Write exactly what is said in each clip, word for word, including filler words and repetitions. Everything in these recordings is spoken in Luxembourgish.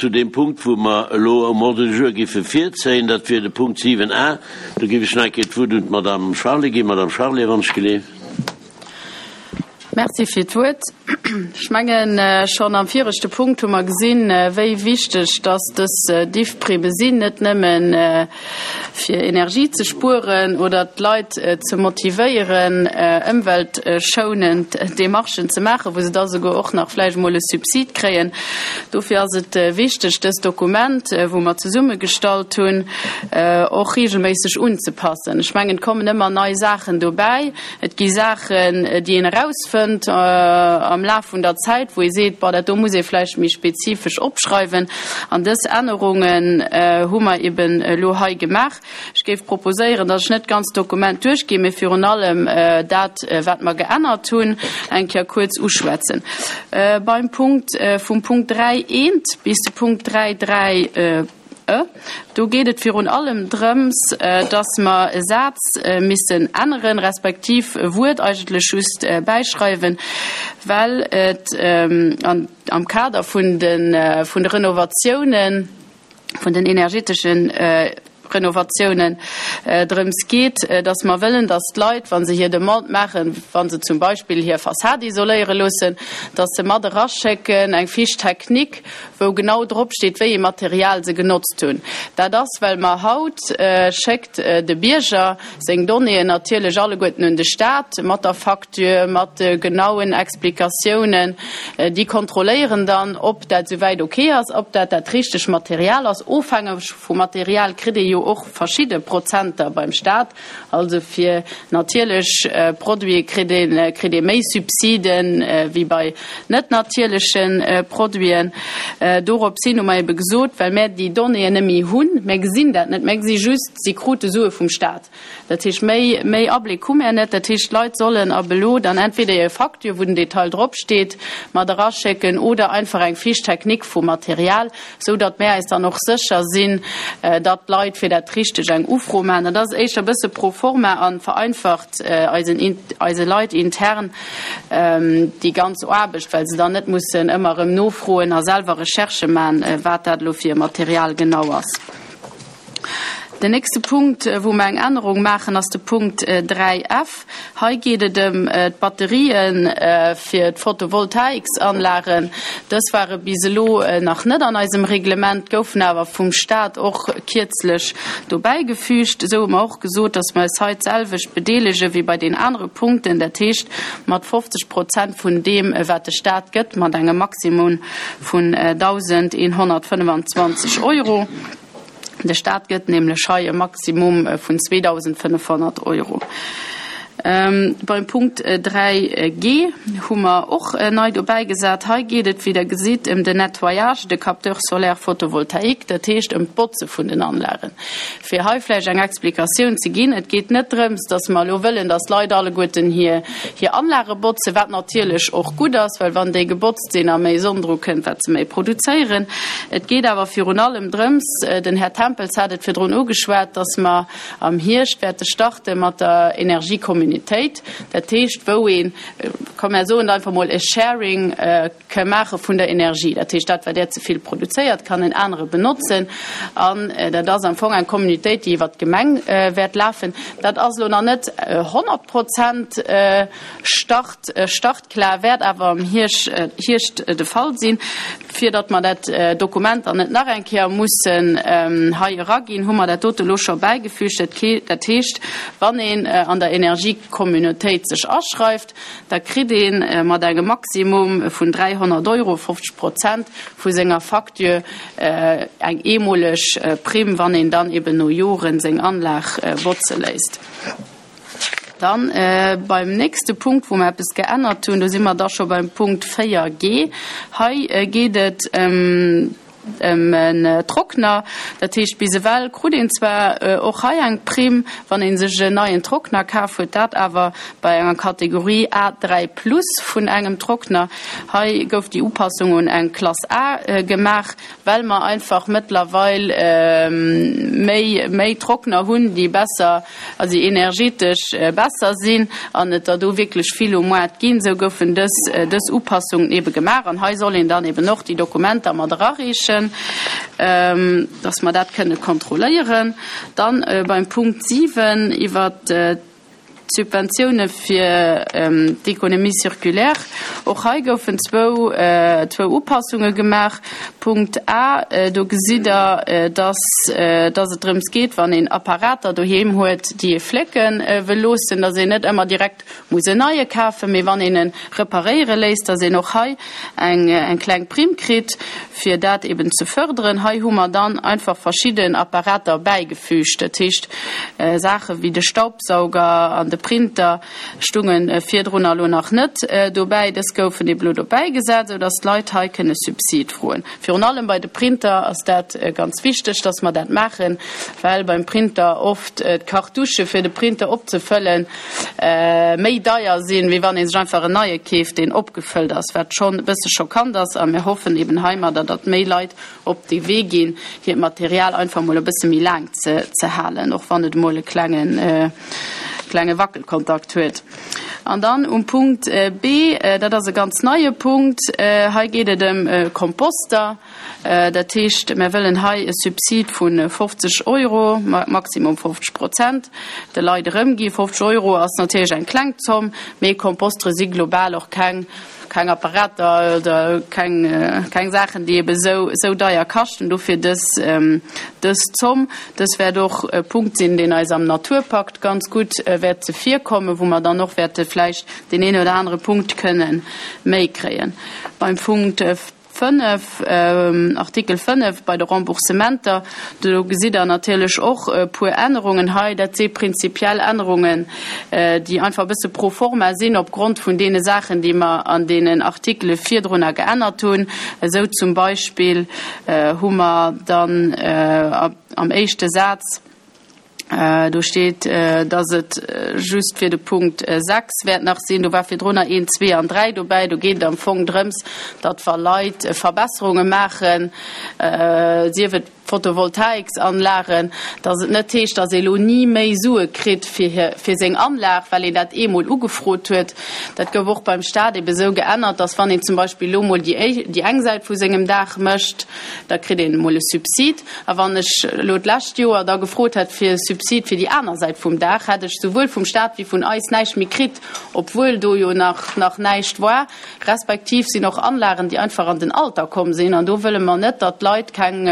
Zu deem Punkt, wou mer elo um Ordre du jour géife virzéien, dat wier de Punkt siwen a. Do géif ech nach eng Kéier d'Wuert un d'Madame Charlé ginn. Madame Charlé, wann ech geleeft. Merci fir d'Wuert. Ech mengen, schonn am viregte Punkt hu mer gesinn, wéi wichteg dass dës Diffprime sinn, net nëmmen fir Energie ze spueren oder d'Leit ze motivéieren, ëmweltschounend Demarchen ze maachen, wou se da souguer och nach vläicht emol e Subsid kréien. Dofir ass et wichteg, dëst Dokument, wou mer zesummegestallt hunn, och regelméisseg unzepassen. Ech mengen, et kommen ëmmer nei Saachen dobäi. Et gi Saachen, déi een erausfënnt am Laf vun der Zäit, wou ee seet, Bon, dat do muss ee vläicht méi spezifesch opschreiwen. An dës Ännerungen hu mer eben elo hei gemaach. Ech géif proposéieren, datt ech net d'ganzt Dokument duerchginn, mee virun allem dat, wat mer geännert hunn, eng Kéier kuerz uschwätzen. Beim Punkt, vum Punkt dräi eent bis de Punkt dräi dräi e, do geet et virun allem drëms, datt mer e Saz missen änneren, respektiv e Wuert eigentlech just bäischreiwen, well et am Kader vun de Renovatiounen, vun den energeteschen Renovatiounen drëms geet, dass mer wëllen, dass d'Leit, wa se hir Demande maachen, wa se zum Beispill hir Fassad isoléiere loossen, dass se mat eraschécken eng Fiche technique, wou genau dropsteet, wéi ee Material se genotzt hunn. Dat ass, well mer haut schéckt de Bierger seng Donnéeën natierlech alleguerten un de Stat, mat der Facture, mat de genauen Explikatiounen. Déi kontrolléieren dann, ob dat souwäit ok ass, ob dat dat richteg Material ass. Ofhängeg vum Material kritt ee jo och verschidde Prozenter beim Staat. Also fir natierlech Produite kritt ee kritt ee méi Subsiden wéi bei net natierleche Produiten. Dorops hin hu mer ebe gesot, well mär déi Donnéeën net méi hunn, mär gesinn dat net, mär gesi just, si krute Sue vum Staat. Dat heescht, méi méi Abléck hu mär net. Dat heescht, d'Leit sollen ab elo dann entweder hir Facture, wou den Detail dropsteet, mat eraschécken oder einfach eng Fiche technique vum Material, sou datt mär eis dann och sécher sinn, datt d'Leit fir dat Richteg eng Ufro maachen. Dat ass éischter e bësse pro forma a vereinfacht eisen, eise Leit intern déi ganz Aarbecht, well se dann net mussen ëmmer erëm nofroen a selwer Recherchë maachen, wat dat elo fir e Material genau ass. Den nächste Punkt, wou mer eng Ännerung maachen, ass de Punkt dräi F. Hei geet et ëm d'Batterië fir d'Photovoltaiksanlagen. Dës ware bis elo nach net an eisem Reglement, goufen awer vum Stat och kierzlech dobäigefügt. Esou hu mer och gesot, dass mer eis hei d'selwecht bedeelege wéi bei den anere Punkten, dat heescht mat fofzeg Prozent vun deem, wat de Stat gëtt, mat engem Maximum vun dausendeenhonnertfënnefenzwanzeg Euro. De Staat gëtt nämlech hei e Maximum vun zweedausendfënnefhonnert Euro. Beim Punkt dräi G hu mer och nei dobäigesat. Hei geet et, wéi Der gesitt, ëm den Nettoyage de capteurs solaires photovoltaïques, dat heescht ëm d'Botze vun den Anlagen. Fir hei vläicht eng Explikatioun ze ginn, Et geet net drëms, dass mer elo wëllen, dass d'Leit alleguerten hir Anlage botzen, wat natierlech och gutt ass, well wann déi gebotzt sinn a méi Sonn dru kënnt, wat se méi produzéieren. Et geet awer virun allem drëms, den Här Tempels hat et virdrun ugeschwat, dass mer am Hierscht wäerte starte mat der Energiecommunitéit, dat heescht, wou een, komm mer soen et einfach mol, e Sharing ka maache vun der Energie. Dat heescht, dat wat där ze vill produzéiert, kann en anere benotzen. An dat ass am Fong eng Communautéit, déi iwwert d'Gemeng wäert lafen. Dat ass elo nach net honnert Prozent Start, startklar, wäert awer am Hierscht de Fall sinn. Fir datt mer dat Dokument dann net nach eng Kéier mussen hei eraginn, hu mer dat dote elo scho bäigefügt. Dat heescht, wann een an der Energiecommunautéit sech aschreift, da kritt ee mat engem Maximum vun dräihonnert Euro fofzeg Prozent vu senger Facture eng eemoleg Primm, wann een dann eben no Joren seng Anlag botze léisst. Dann beim nächste Punkt, wou mer eppes geännert hunn, do si mer da scho beim Punkt véier G. Hei geet et ëm en Trockner. Dat heescht, bis ewell krut een zwar och hei eng Primm, wann ee sech en neien Trockner kaf huet, dat awer bei enger Kategorie A dräi plus vun engem Trockner. Hei gouf déi Upassung un eng Klass A gemaach, well mer einfach mëttlerweil méi méi Trockner hunn, déi besser, also déi energetesch besser sinn an et der do wierklech vill um Moart ginn. Esou goufen dës dës Upassungen ebe gemaach an hei soll een dann eben och déi Dokumenter mat erareechen. erméiglechen, dass mer dat kënne kontrolléieren. Dann beim Punkt siwen iwwert d'Subventioune fir d'Économie circulaire. Och hei goufen zwou zwou Upassunge gemaach. Punkt A, do gesitt Der, dass dass et drëms geet, wann een Apparater doheem huet, déi ee flécke wëll loossen, dass een net ëmmer direkt muss en neie kafen, mee wann een e reparéiere léisst, dass een och hei eng eng kleng Primm kritt, fir dat eben ze förderen. Hei hu mer dann einfach verschidden Apparater bäigefügt, dat heescht Saache wéi de Staubsauger an de Printer stunge virdrun elo nach net dobäi. Dës goufen ebe elo dobäigesat, esou dass d'Leit hei kënne Subsid froen. Virun allem bei de Printer ass dat ganz wichteg, dass mer dat maachen, well beim Printer oft d'Cartouchë fir de Printer opzefëllen méi deier sinn, wéi wann ee sech einfach en neie keeft, deen opgefëllt ass, wat schonn e bësse schockant ass. A mir hoffen eben heimadder, datt méi Leit op dee Wee ginn, hiert Material einfach emol e bësse méi laang ze halen, och wann et emol e klengen, klenge Wackelkontakt huet. An dann um Punkt B, dat ass e ganz neie Punkt, hei geet et ëm Komposter. Dat heescht, mir wëllen hei e Subsid vu fofzeg Euro, maximum fofzeg Prozent, de Leit erëmginn. Fofzeg Euro ass natierlech eng kleng Zomm, mee Kompostere si global och keng, keng Apparater oder keng, keng Saachen, déi ebe sou, sou deier kaschten. Dofir dës, dës Zomm. Dës wäert och e Punkt sinn, deen eis am Naturpakt ganz gutt wäert zevirkommen, wou mer dann och wäerte vläicht deen een oder anere Punkt kënnen méi kréien. Beim Punkt fënnef, Artikel fënnef, bei de Remboursementer, do gesitt Der natierlech och e puer Ännerungen hei. Dat si prinzipiell Ännerungen, déi einfach e bësse pro forma sinn opgrond vun deene Saachen, déi mer an deenen Artikele virdrunner geännert hunn. Esou zum Beispill hu mer dann am éischte Saz, Do steet, dass et just fir de Punkt sechs wäert nach sinn. Do war virdrunner een, zwee an dräi dobäi. Do geet et am Fong drëms, datt wa Leit Verbesserunge maachen, sief et Photovoltaiksanlagen, datt et net heescht, datt ee elo ni méi Sue kritt fir hir, fir seng Anlag, well een dat eemol ugefrot huet. Dat gouf och beim Stat ebe sou geännert, datt wann een zum Beispill elo mol déi, déi eng Säit vu sengem Daach mécht, da kritt een emol e Subsid. A wann ech elo d'lescht Joer da gefrot hätt fir e Subsid fir déi aner Säit vum Daach, hätt ech souwuel vum Stat wéi vun eis näischt méi kritt, obwuel do jo nach nach näischt war. Respektiv sinn och Anlagen, déi einfach an den Alter komm sinn. An do wëlle mer net, datt d'Leit keng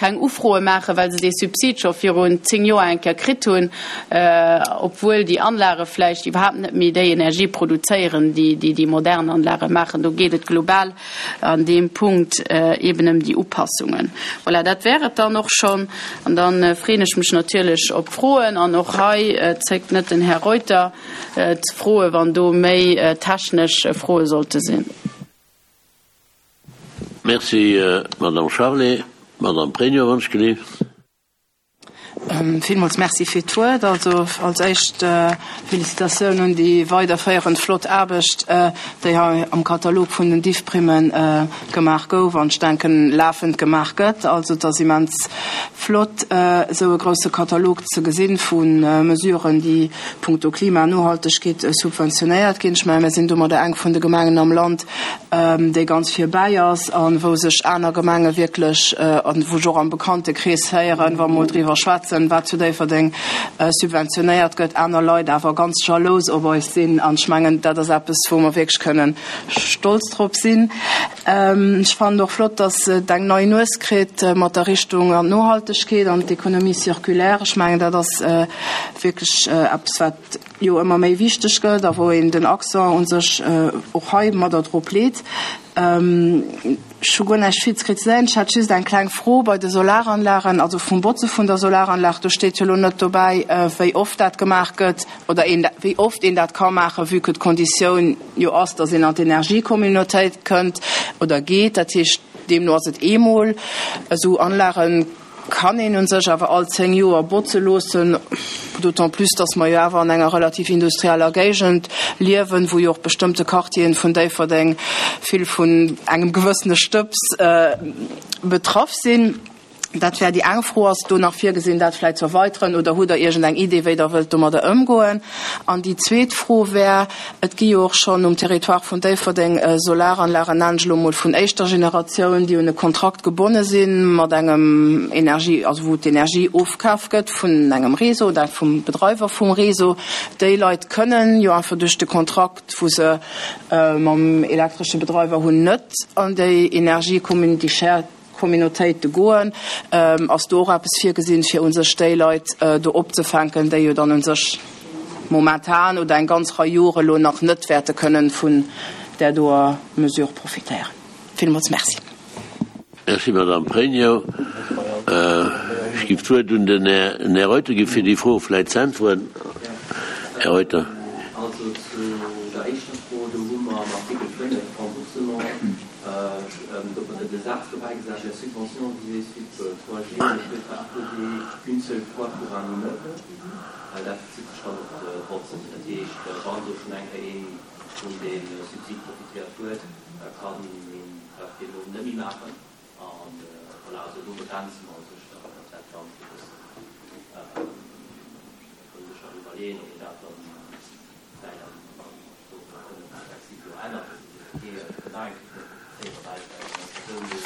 keng Ufroe maachen, well se dee Subsid scho virun zéng Joer eng Kéier kritt hunn, obwuel déi Anlage vläicht iwwerhaapt net méi déi Energie produzéieren, déi déi modern Anlage maachen. Do geet et global an deem Punkt eben ëm déi Upassungen. Voilà, dat wär et dann och schonn. An da freeën ech mech natierlech op Froen. An och hei zéckt net den Här Reuter ze froen, wann do méi technesch Froe sollte sinn. Merci, Madame Charlé. Madame Pregno, wann ech gelift. Villmools Merci fir d'Wuert. Also als éischt Felicitatioun un déi weiderféierend flott Aarbecht, déi hei am Katalog vun den Diffprimme gemaach gouf an ech denken lafend gemaach gëtt. Also et ass immens flott, esou e grouse Katalog ze gesinn vu Mesuren, déi punkto Klima an Nohaltegkeet subventionéiert ginn. Ech mengen, mir sinn domadder eng vun de Gemengen am Land, déi ganz vir bäi ass a wou sech aner Gemenge wierklech, an wou ech och am Bekanntekrees héieren, wa mer mol driwwer schwätzen, wat zu Déifferdeng subventionéiert gëtt, aner Leit awer ganz jalous op eis sinn. An ech mengen, dat ass eppes, wou mer wierklech kënnen stolz drop sinn. Ech fannen och flott, dass et eng nei Nues kritt mat der Richtung an d'Nohaltegkeet an d'Économie circulaire. Ech mengen, dat ass wierklech eppes, wat jo ëmmer méi wichteg gëtt a wou een den Accent u sech och heimadder drop leet. Ech hu guer näischt vill ze kritiséieren. Ech hätt just eng kleng Fro bei de Solaranlagen, also vum Botze vun der Solaranlag. Do steet jo elo net dobäi, wéi oft dat gemaach gëtt oder een, wéi oft een dat ka maachen, vue que d'Konditioun jo ass, datt een an d'Energiecommunautéit kënnt oder geet. Dat heescht, deemno ass et eemol. Esou Anlagen kann een u sech awer all zéng Joer botze loossen, d'autant plus, dass mer jo awer an enger relativ industrieller Géigend liewen, wou jo och bestëmmte Quartieren vun Déifferdeng vill vun engem gewëssene Stëbs betraff sinn. Dat wär déi eng Fro. Ass do nach virgesinn, dat vläicht ze erweiteren, oder hutt Der iergendeng Idee, wéi Der wëllt domadder ëmgoen? An déi zweet Fro wär, Et gi jo och schonn um Territoire vun Déifferdeng Solaranlagen, nennen ech elo emol, vun éischter Generatioun, déi un e Kontrakt gebonne si mat engem Energie, also wou d'Energie ofkaf gëtt vun engem Réseau oder vum Bedreiwer vum Réseau. Déi Leit kënnen jo einfach duerch de Kontrakt, wou se mam elektresche Bedreiwer hunn, net an déi Energiecommunity shared Communautéite goen. Ass do och eppes virgesinn, fir u sech déi Leit do opzefänken, déi jo dann u sech momentan oder eng ganz Rei Jore elo nach net wäerte kënnen vun där doer Mesure profitéieren? Villmools Merci. Merci, Madame Pregno. Ech géif d'Wuert un den Här Reuter gi fir déi Fro vläicht ze äntweren. Här Reuter. Also zu der éischter Fro, do hu mer am Artikel fënnef Remboursement, do huet de Saz dobäi gesat, La subvention visée sub trois G ne peut être accordée qu'une seule fois pour un immeuble. Dat bezitt sech dann op d'Botzen. Dat heescht, wann do schonn eng Kéier ee vun deem Subsid profitéiert huet, da kann een dat deemno net méi maachen. An voilà, also do begrenze mer u sech dann dat Ganzt e bëssen. Da kann ee sech nach iwwerleeën, ob een dat dann vläicht am flexibel ännert, dass ee seet, okay, ech kënn nach eng Kéier profitéieren, well ech eng Persoun do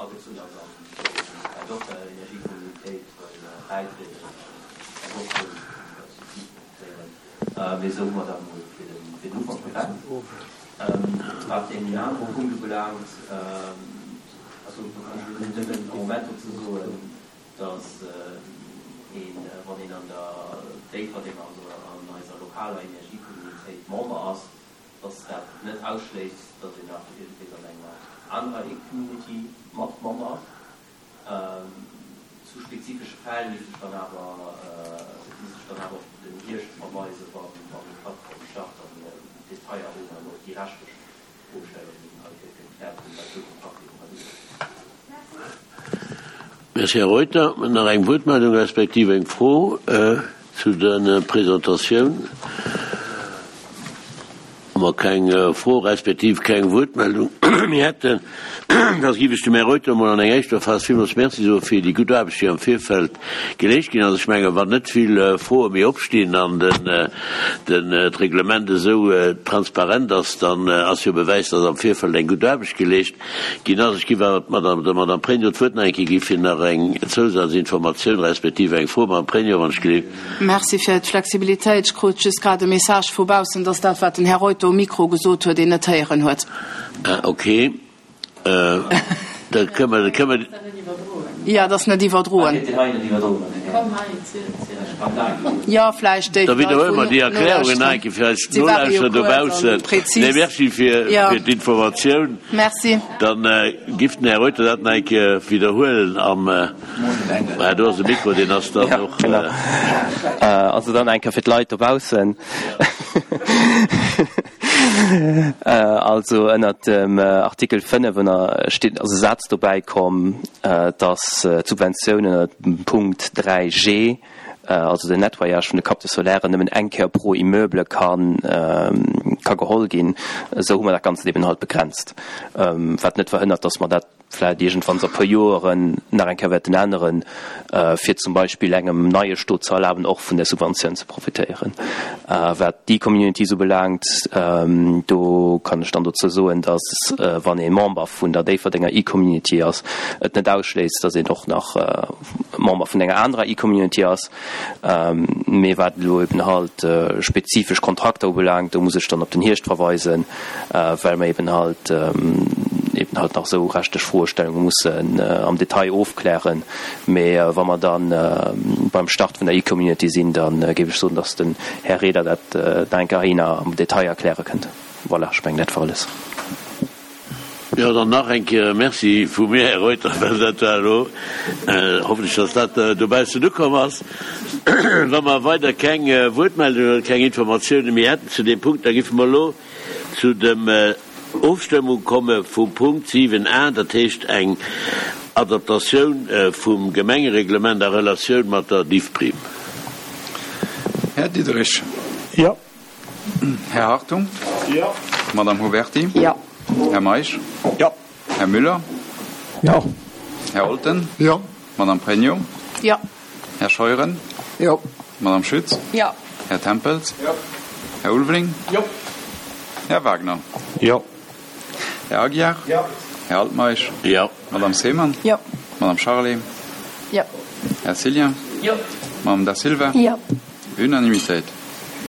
agezunn ass an vläicht och der Energiekommunitéit wëll bäitrieden an och vum Subsid profitéieren. Mee esou hu mer dat emol fir den Ufank begrenzt. Wat deen anere Punkt ubelaangt, also do kann ech elo nëmmen am Moment dozou soen, dass een, wann een an der Déifferdenger, also an eiser lokaler Energiekommunitéit Member ass, dass dat net ausschléisst, dass een nach iergendwees an enger anerer E-Community mat Member ass. Zu spezifesche Fäll misst ech dann awer, misst ech dann awer op den Hierscht verweisen, wa déi Plattform start a mir Detailler hunn an och déi rechtlech Froestellungen hei gekläert hunn, wat esou Kontrakter iwwerhaapt ugeet. Merci, Här Reuter. Nach eng Wuertmeldung respektiv eng Fro zu der Presentatioun? Wa mer keng Fro respektiv keng Wuertmeldung méi hätten, da géif ech dem Här Reuter emol an enger éischter Phas villmools Merci soe fir déi gutt Aarbecht, déi am Virfeld geleescht ginn ass. Ech mengen, wann net vill Froe méi opstinn an den d'Reglement esou transparent ass, dann ass jo e Bewäis, dass am Virfeld eng gutt Aarbecht geleescht ginn ass. Ech géif awer d'Madame, der Madame Pregno d'Wuert nach eng Kéier gi fir nach eng Zousazinformatioun respektiv eng Fro. Madame Pregno, wann ech gelift. Merci fir d'Flexibilitéit. Ech krut just grad e Message vu baussen, dass dat, wat den Här Reuter um Mikro gesot huet, een net héieren huet. Ah, okay. Da kënne mer, kënne mer. Jo, et ass net iwwerdroen. Jo, vläicht déi Da widderhuele mer déi Erklärungen nach eng Kéier fir eis Nolauschterer dobaussen. Nee, merci fir d'Informatioun. Merci. Dann giff den Här Reuter dat nach eng Kéier widderhuelen am, ah, do ass e Mikro, deen ass dann och. Also dann eng Kéier fir d'Leit dobaussen. Also ënnert dem Artikel fënnef ënner steet, ass e Saz dobäi komm, datt d'Subventioun ënnert dem Punkt dräi G, also den Nettoyage vun de Capteurs solaires, nëmmen eng Kéier pro Immeuble ka ka geholl ginn. Esou hu mer dat Ganzt eben halt begrenzt, wat net verhënnert, datt mer dat vläicht iergendwanns a puer Joeren nach eng Kéier wäerten änneren, fir zum Beispill engem neie Stot ze erlaben, och vun där Subventioun ze profitéieren. Wat d'E-Communities ubelaangt, do kann ech dann dozou soen, dass, wann ee Member vun der Déifferdenger E-Community ass, et net ausschléisst, dass een och nach Member vun enger anerer E-Community ass. Mee wat elo eben halt spezifesch Kontrakter ubelaangt, do muss ech dann op den Hierscht verweisen, well mer eben halt eben halt nach esou rechtlech Froestellunge mussen am Detail ofklären. Mee wa mer da beim Start vun der E-Community sinn, da géif ech soen, dass den Här Reder dat nach eng Kéier am Detail erkläre kënnt. Voilà, ech mengen, dat war alles. Jo, dann nach eng Kéier e Merci vu mir, Här Reuter, well dat war elo, hoffen ech, dass dat dobaussen ukomm ass. Wa mer weider keng Wuertmeldungen oder keng Informatiounen méi hätten zu deem Punkt, da géife mer elo zu dem Ofstëmmung komme vum Punkt siwen a, dat heescht eng Adaptatioun vum Gemengereglement a Relatioun mat der Diffprime. Här Diderich. Jo. Här Hartung. Jo. Madame Huberti. Jo. Här Meisch. Jo. Här Müller. Jo. Här Olten. Jo. Madame Pregno. Jo. Här Scheuren. Jo. Madame Schütz. Jo. Här Tempels. Jo. Här Ulveling. Jo. Här Wagner. Jo. Här Aguiar. Jo. Här Altmeisch. Jo. Madame Seemann. Jo. Madame Charlé. Jo. Här Cillien. Jo. Madame Da Silva. Jo. Unanimitéit.